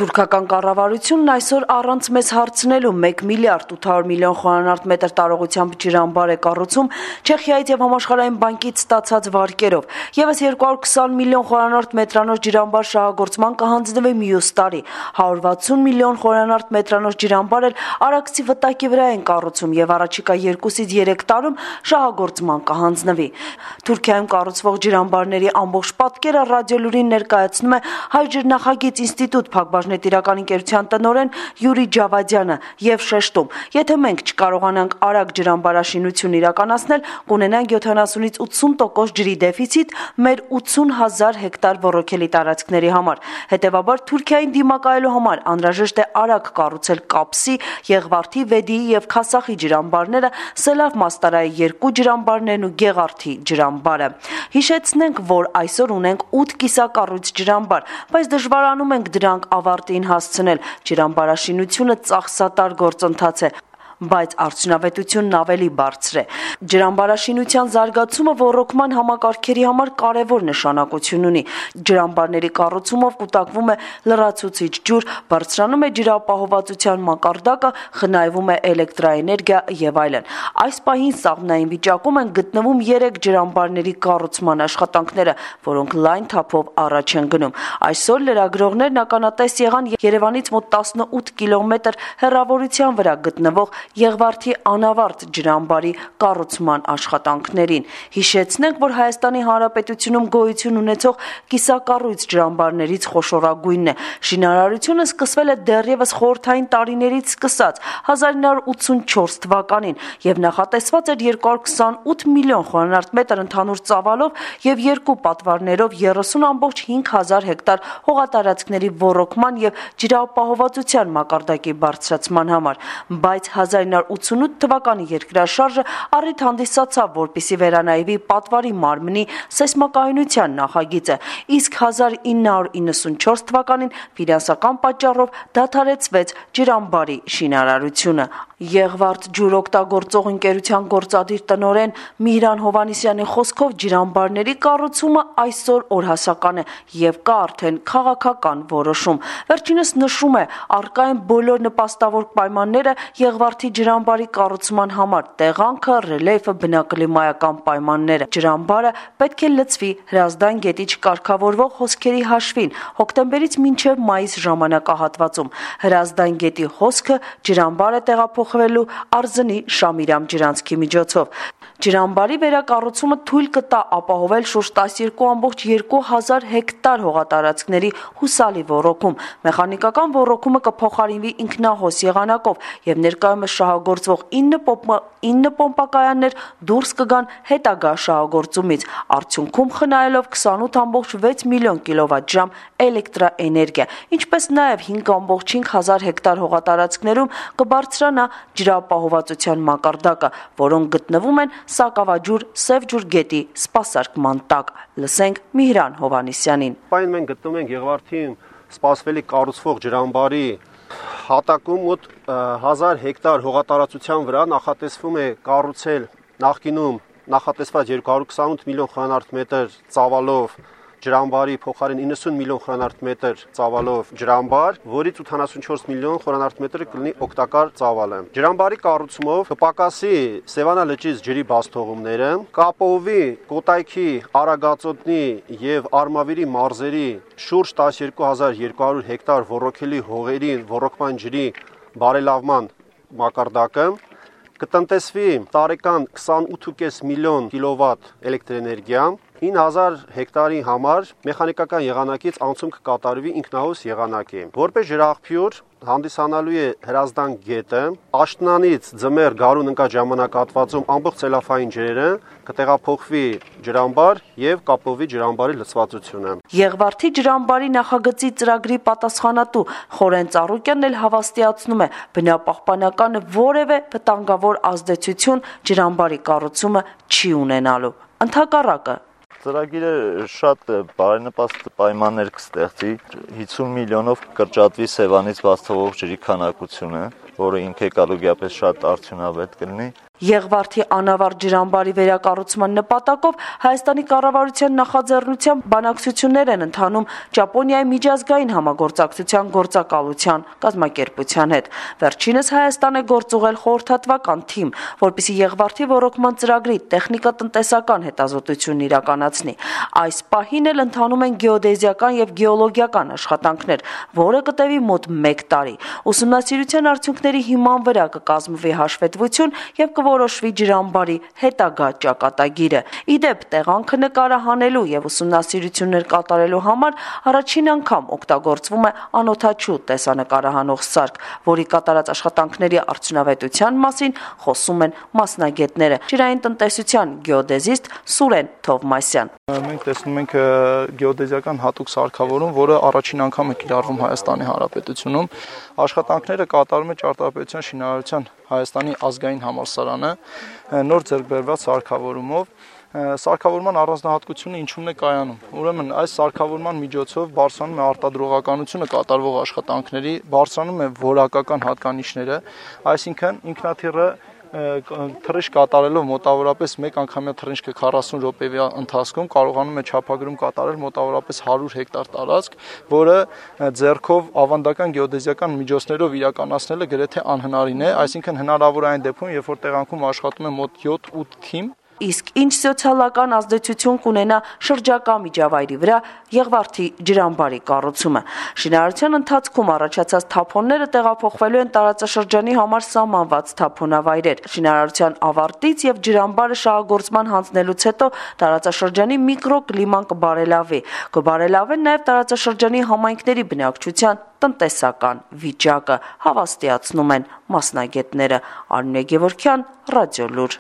Թուրքական կառավարությունն այսօր առանց մեզ հարցնելու 1 միլիարդ 800 միլիոն խորանարդ մետր տարողությամբ ջրամբար է կառուցում Չեխիայից եւ Համաշխարհային բանկից ստացած վարկերով։ Եվս 220 միլիոն խորանարդ մետրանոց ջրամբար շահագործման կհանձնվի մյուս տարի։ 160 միլիոն խորանարդ մետրանոց ջրամբար էլ Արաքսի վտակի վրա են կառուցում եւ առաջիկա 2-ից 3 տարում շահագործման կհանձնվի։ Թուրքիայում կառուցվող ջրամբարների ամբողջ պատկերը Ռադիոլուրին ներկայացնում է Հայ ջրնախագիծ ինստիտուտ Տիրական ընկերության տնօրեն Յուրի Ջավադյանը եւ շեշտում. եթե մենք չկարողանանք արագ ջրամբարաշինություն իրականացնել, կունենանք 70-ից 80% ջրի դեֆիցիտ մեր 80,000 հեկտար ոռոգելի տարածքների համար։ Հետևաբար Թուրքիային դիմակայելու համար անհրաժեշտ է արագ կառուցել Կապսի, Եղվարդի, Վեդիի եւ Քասախի ջրամբարները, Սելավ Մաստարայի 2 ջրամբարներն ու Գեղարդի ջրամբարը։ Հիշեցնենք, որ այսօր ունենք 8 կիսակառույց ջրամբար, բայց դժվարանում ենք դրանք ավարտին հասցնել։ Ջրամբարաշինությունը ծախսատար գործընթաց է, բայց արդյունավետությունն ավելի բարձր է։ Ջրամբարաշինության զարգացումը ոռոգման համակարգերի համար կարևոր նշանակություն ունի։ Ջրամբարների կառուցումով կուտակվում է լրացուցիչ ջուր, բարձրանում է ջրապահովվածության մակարդակը, խնայվում է էլեկտրաէներգիա եւ այլն։ Այս պահին սաղմնային վիճակում են գտնվում 3 ջրամբարների կառուցման աշխատանքները, որոնք լայն թափով առաջ են գնում։ Այսօր լրագրողներն ականատես եղան Երևանից մոտ 18 կիլոմետր հեռավորության վրա գտնվող Եղվարդի անավարտ ջրամբարի կառուցման աշխատանքներին։ Հիշեցնենք, որ Հայաստանի Հանրապետությունում գոյություն ունեցող կիսակառույց ջրամբարներից խոշորագույնն է։ Շինարարությունը սկսվել է դեռևս խորհրդային տարիներից սկսած 1984 թվականին եւ նախատեսված էր 228 միլիոն խորանարդ մետր ընդհանուր ծավալով եւ 2 պատվարներով 30,5 հեկտար հողատարածքների ոռոգման եւ ջրապահովվածության մակարդակի բարձրացման համար, բայց 1988 թվականի երկրաշարժը առիթ հանդիսացավ, որպեսզի վերանայվի պատվարի մարմնի սեյսմակայունության նախագիծը, իսկ 1994 թվականին ֆինանսական պատճառով դադարեցվեց ջրամբարի շինարարությունը։ Եղվարդ ջուրօգտագործող ընկերության գործադիր տնօրեն Միհրան Հովհաննիսյանի խոսքով ջրամբարների կառուցումը այսօր օրհասական է եւ կա արդեն քաղաքական որոշում։ Վերջինս նշում է, առկա են բոլոր նպաստավոր պայմանները Եղվարդի ջրամբարի կառուցման համար՝ տեղանքը, ռելիեֆը, բնակլիմայական պայմանները։ Ջրամբարը պետք է լցվի Հրազդան գետի չկարգավորվող հոսքերի հաշվին հոկտեմբերից մինչև մայիս ժամանակահատվածում։ Հրազդան գետի հոսքը ջրամբար է տեղափոխվելու Արզնի Շամիրամ ջրանցքի միջոցով։ Ջրամբարի վերակառուցումը թույլ կտա ապահովել շուրջ 12,2 հեկտար հողատարածքների հուսալի ոռոգում։ Մեխանիկական ոռոգումը կփոխարինվի ինքնահոս եղանակով եւ ներկայումս շահագործվող 9 պոմպակայաններ դուրս կգան հետագա շահագործումից, արդյունքում խնայելով 28,6 միլիոն կիլովատժամ էլեկտրաէներգիա, ինչպես նաեւ 5,5 հեկտար հողատարածքներում կբարձրանա ջրապահովվածության մակարդակը, որոնք գտնվում են Սակավաջուր Սևջուր գետի սպասարկման տակ։ Լսենք Միհրան Հովհաննիսյանին։ Պայն մենք գտնվում ենք Եղվարդի սպասվելի կառուցվող ջրամբարի հատակում մոտ 1000 հեկտար հողատարածության վրա նախատեսվում է կառուցել նախկինում նախատեսված 228 միլիոն խորանարդ մետր ծավալով ջրամբարի փոխարեն 90 միլիոն խորանարդ մետր ծավալով ջրամբար, որից 84 միլիոն խորանարդ մետրը կլինի օգտակար ծավալը։ Ջրամբարի կառուցումով կպակասի Սևանա լճից ջրի բացթողումները, կապովի Կոտայքի, Արագածոտնի եւ Արմավիրի մարզերի շուրջ 12200 հեկտար ոռոգելի հողերի ոռոգման ջրի բարելավման մակարդակը, կտնտեսվի տարեկան 28.5 միլիոն կիլովատ էլեկտրաէներգիա, 9000 հեկտարի համար մեխանիկական եղանակից անցում կկատարվի ինքնահոս եղանակի։ Որպես ջրաղբյուր հանդիսանալու է Հրազդան գետը, աշտանանից ձմեռ գարուն ընկած ժամանակահատվածում ամբողջ ցելոֆային ջրերը կտեղափոխվի ջրամբար եւ Կապովի ջրամբարի լցվածությունը։ Եղվարդի ջրամբարի նախագծի ծրագրի պատասխանատու Խորեն Ծառուկյանն էլ հավաստիացնում է, բնապահպանական որևէ վտանգավոր ազդեցություն ջրամբարի կառուցումը չի ունենալու։ Ընդհակառակը ծրագիրը շատ բարենպաստ պայմաններ կստեղծի, 50 միլիոնով կրճատվի Սևանից բաց թողող ջրի քանակությունը, որը ինքեկալուկիապես շատ արդյունավետ կլինի։ Եղվարդի անավարտ ջրամբարի վերակառուցման նպատակով Հայաստանի կառավարության նախաձեռնությամբ բանակցություններ են ընթանում Ճապոնիայի միջազգային համագործակցության գործակալության կազմակերպության հետ։ Վերջինս Հայաստան է գործուղել խորհրդատվական թիմ, որպեսզի Եղվարդի ոռոգման ծրագրի տեխնիկատնտեսական հետազոտությունն իրականացնի։ Այս պահին էլ ընթանում են գեոդեզիական եւ գեոլոգիական աշխատանքներ, որը կտևի մոտ 1 տարի։ Ուսումնասիրության արդյունքների հիման վրա կկազմվի հաշվետվություն եւ որոշվի ջրամբարի հետագա ճակատագիրը։ Իդեպ տեղանքը նկարահանելու եւ ուսումնասիրություններ կատարելու համար առաջին անգամ օգտագործվում է անօդաչու տեսանկարահանող սարք, որի կատարած աշխատանքների արդյունավետության մասին խոսում են մասնագետները։ Ջրային տնտեսության գեոդեզիստ Սուրեն Թովմասյան։ Մենք տեսնում ենք գեոդեզիական հատուկ սարքավորում, որը առաջին անգամ է կիրառվում Հայաստանի Հանրապետությունում։ Աշխատանքները կատարում է Ճարտարապետության շինարարության Հայաստանի ազգային համալսարանը նոր ձեռքբերված սարքավորումով։ Սարքավորման առանձնահատկությունը ինչումն է կայանում։ Ուրեմն այս սարքավորման միջոցով բարձրանում է արտադրողականությունը կատարվող աշխատանքների, բարձրանում է որակական հատկանիշները, այսինքն ինքնաթիռը թռիչք կատարելով մոտավորապես մեկ անգամյա թռիչքը 40 րոպեվա ընթացքում կարողանում է չափագրում կատարել մոտավորապես 100 հեկտար տարածք, որը ձեռքով ավանդական գեոդեզիական միջոցներով իրականացնելը գրեթե անհնարին է, այսինքն հնարավոր է այն դեպքում, երբ որ տեղանքում աշխատում է մոտ 7-8 թիմ։ Իսկ ինչ սոցիալական ազդեցություն կունենա շրջակա միջավայրի վրա Եղվարդի ջրամբարի կառուցումը։ Շինարարության ընթացքում առաջացած թափոնները տեղափոխվելու են տարածաշրջանի համար սահմանված թափոնավայրեր։ Շինարարության ավարտից եւ ջրամբարը շահագործման հանձնելուց հետո տարածաշրջանի միկրոկլիման կբարելավի։ Կբարելավեն նաեւ տարածաշրջանի համայնքների բնակչության տնտեսական վիճակը, հավաստիացնում են մասնագետները։ Արմինե Գևորգյան, Ռադիոլուր։